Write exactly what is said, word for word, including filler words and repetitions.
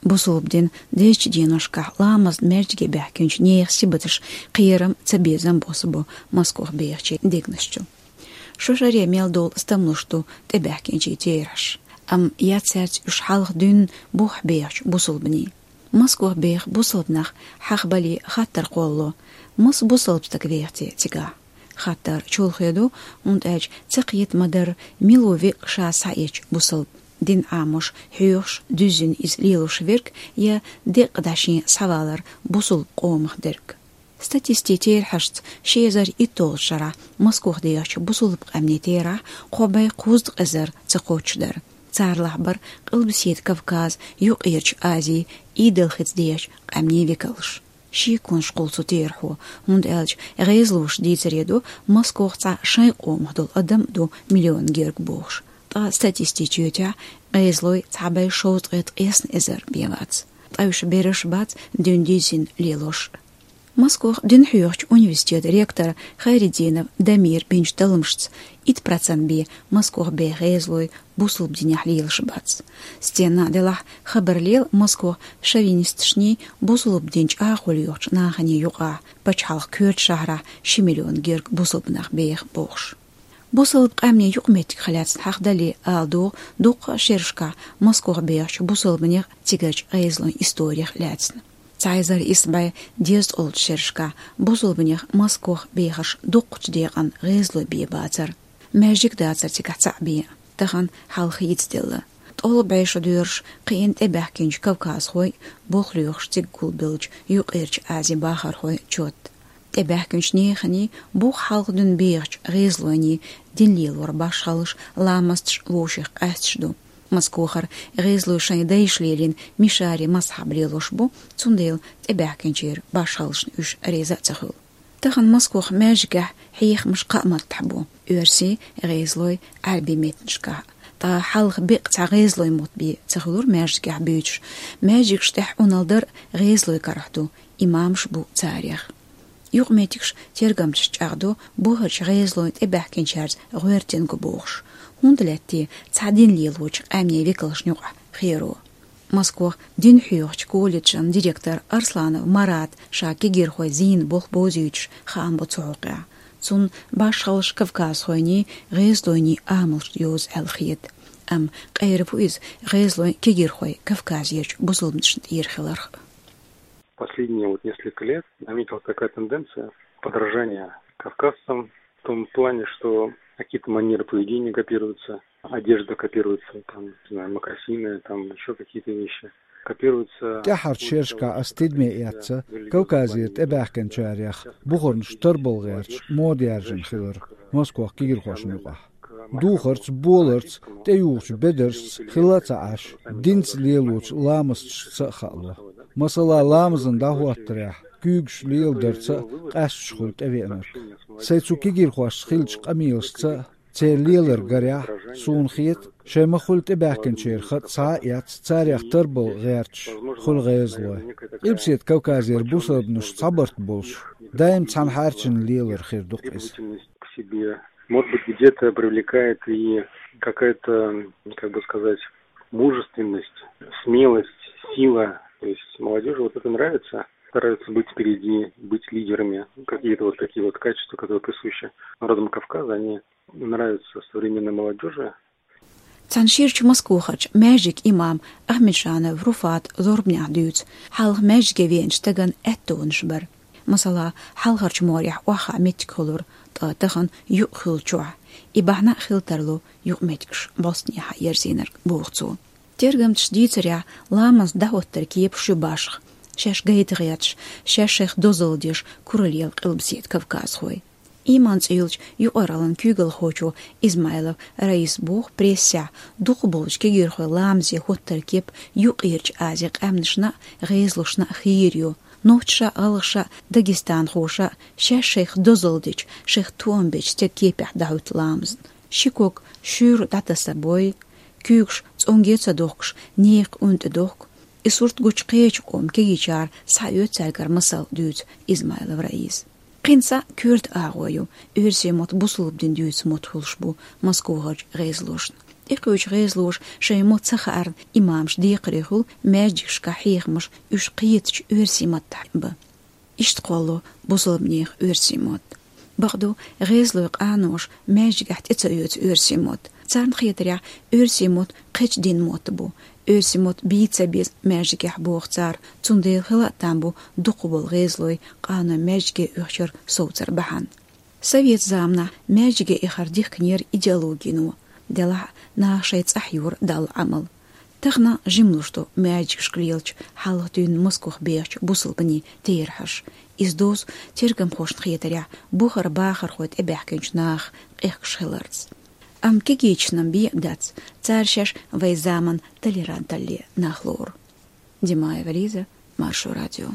Бусалба дина дезачу деношкахь ламазна маьждиге баьхкинчу нехан сибаташ кхерам, цабезам босса бу Москох бехачийн дегнаш чу. Шо шаре мел долу стамлуш ду тӀебаьхкинчийн терахьаш, амма яц цаьрца уьш хьалха дуьйна бухахь бехачу бусалбанийн. Москох беха бусалба нах хьахабале хаттар кхоллало: «Маса бусалба стаг веха те цигахь?» Хаттар чолхе ду, хӀунда аьлча ца кхета ма-дарра, мила ву веккъа ша схьаэцча бусалба. Дин Ӏамош, хьоьхуш, дуьззина иза лелош верг я деккъа дӀа шен схьавалар бусалба къомах дерг. Статистикин терахьашца, ши эзар итталгӀачу шарахь Москох дехачу бусалба къаьмнийн терахь кхо бӀе кхузткъа эзар ца кхоччуш дара. Царалахь бара Къилбаседа Кавказ, Юккъерчу Ази, Идалхица дехачу къаьмнийн векалш. Шеконаш кхуллу цу терахьо, хӀунда аьлча гӀезалоша дийцаре ду, Москох цхьа шайн къомах долу адам а ду миллион герга бохуш. Ткъа статистикин чоьтехь гӀезалой цхьа бӀе шовзткъе ткъесна эзар бен вац. Ткъа уьш бераш а бац дуьйна дуьззина лелош. Москох дин хьоьхучу университетан ректора Хайреддинов Дамира бинчу талламашца, итт процент бен Москох беха гӀезалой бусалба динехь лелаш бац. Стенна а делахь, хабар лела Москох шовинисташний, бусалба дин чӀагӀо йохучу наханий юкъахь, пачхьалкхан коьртачу шахьарахь ши миллион герга бусалба нах беха бохуш. Бусалба къаьмнийн юкъаметтигах лаьцна хьахадале ала догӀу, дуккха а шерашкахь Москох бехачу бусалбанех, цигарчу гӀезалойн историх лаьцна. Цхьа эзар исс бӀе дезткъолгӀачу шерашкахь бусалбанех Москох бехарш дуккхачу декъана гӀезалой бен бацара. Маьждиг дацара цигахь цхьаъ бен, тахана хьал хийцаделла. ТӀолла бӀе шо доьруш кхиъна тӀебаьхкинчу кавказхойн, болх лоьхуш цига гулбеллачу Юккъерчу Азин бахархойн чот. ТӀебаьхкинчу неханий, бух хьалха дуьйна бехачу гӀезалойний дин лелоран башхаллаш, ламасташ вовшех къаьсташ ду. Москохара гӀезалой шайн дайша лелийна мишари мазхьаб лелош бу, цундела тӀебаьхкинчеран башхаллашна уьш реза а ца хуьлу. Тахана Москох маьждигехь хьехамаш кхаа маттахь бу: оьрсийн, гӀезалойн, Ӏаьрбийн меттанашкахь. Ткъа хьалха беккъа цхьа гӀезалойн мотт бен ца хуьлура маьждигехь буьйцуш. Маьждигаш тӀехь Ӏуналла дар гӀезалойн карахь ду, имамаш бу царех. Юкъаметтигаш, тергамчаш чӀагӀдо бухарчу гӀезалойн тӀебаьхкинчаьрца гӀоьртина го бохуш. ХӀунда лаьтта те цхьа дин лелочу къаьмнийн векалшна юкъахь херо? Москох дин хьоьхучу колледжан директор Арсланов Марата ша кегирхойн зийна болх бовзуьйтуш хаам бо цу хьокъехь. Цунна башхаллаш кавказхойний, гӀезалойний амалш йоза аьлла хета. Амма къера ву иза гӀезалойн, кегирхойн Кавказерчу бусалбанашна тӀера хиларх. Последние вот несколько лет наметилась такая тенденция подражания кавказцам в том плане, что какие-то манеры поведения копируются, одежда копируется, там, не знаю, мокасины, там, ещё какие-то вещи копируются. ТӀаьххьарчу шерашкахь ас тидаме эцна Кавказера тӀебаьхкинчарех бухарнаш тарбала гӀерташ мода яржийна хилар Москох кегирхошна юкъахь. Духарца, боларца, тӀеюхучу бедаршца хилла а ца Ӏаш, динца лелочу ламасташца а хаало. Масала, ламазан дӀахӀоттарехь куьйгаш леладарца а къаьсташ хуьлу тӀевеанарг. Сайн цу кегирхошца хиллачу къамелашца а, церан лелар гарехь, суна хета, шайн ма-хуьллу тӀебаьхкинчеран хатӀ схьа а эцна, царех тарбала гӀерташ хуьлу гӀезалой. Къилбаседа Кавказера бусалбанаш цхьабарт болуш, даим цхьаьна хьаьрчина лелар хир ду-кх иза. К себе. Может быть, где-то привлекает и какая-то, как бы сказать, мужественность, смелость, сила. То есть молодёжи вот это нравится. Стараются быть впереди, быть лидерами. Какие-то вот такие вот качества, которые присущи народам Кавказа, они нравятся современной молодёжи. Цхьана ширачу Москохарчу маьждиган имам Ахмеджанов Руфата зорбанехь дуьйцу, хьалха маьждиге веанчу стагана аьттонаш бара. Масала, хьалхарчу морехь охьахаа меттиг хуьлура, ткъа тахана юкъа хуьлу чохь. И бахьана а хила тарло юкъаметтигаш бӀостанехьа ерзийнарг, боху цо. Тергамчаша дийцарехь, ламазан дӀахӀоттаран кепаш ю башха, шаьш гайта гӀерташ, шаьш шайх дозалла деш куралла ела къилбаседа кавказхой. Иман цӀе йолчу юкъараллин куьйгалхочо Измайлов Раиса боху прессехь, дукхахболчу кегирхойн ламазе хӀоттаран кеп Юккъерчу Азин къаьмнашна а, гӀезалошна а хийра ю. Нохчаша а, гӀалгӀаша а, дагестанхоша а шаьш шайх дозалла дечу, шайх тоам бечу стеган кепехь дӀахӀуьтту ламазна. Ши ког шуьйра дӀатаса бой, куьйгаш цӀонге ца дохкуш, нехан къуьнан тӀе дохку. И сурт гучу кхечу къоман кегийчара схьаоьцу цаьргара масал, дуьйцу Измайлов Раиса. Кхин цхьа коьрта агӀо ю, оьрсийн мотт бусалба дин дуьйцу мотт хуьлуш бу Москохарчу гӀезалошна. ТӀекхуьучу гӀезалоша шайн мотт ца хаарна имамаш декхарийна хуьлу маьждигашкахь хьехамаш, уьш кхетачу оьрсийн маттахь бан. Иштта кхолло бусалбанех оьрсийн мотт. Бакъду, гӀезалойн къаноша маьждигехь тӀе ца оьцу оьрсийн мотт. Царна хетарехь, оьрсийн мотт кхечу динан мотт бу. Оьрсийн мотт бийца ца беза маьждигехь, боху цара, цундела хила а там бу дукхахболу гӀезалой къанойн маьждиге оьхучуьра совцар бахьана. Совет заманахь маьждиге эхар дихкинера идеологино, делахь а наха шайн цӀахь йора Далла Ӏамал. Тахана жимлуш ду маьждигашка лелачу, хьалха дуьйна Москвахь бехачу бусалбанийн терахьаш. Иза дозу, тергамхошна хетарехь, бухара бахархой тӀебаьхкинчу наха къехкаш хиларца. Амма кегийчаьрна бен а дац, цара шаьш вайн заманан толеранталле нах лору. Димаева Лиза, Маршо радио.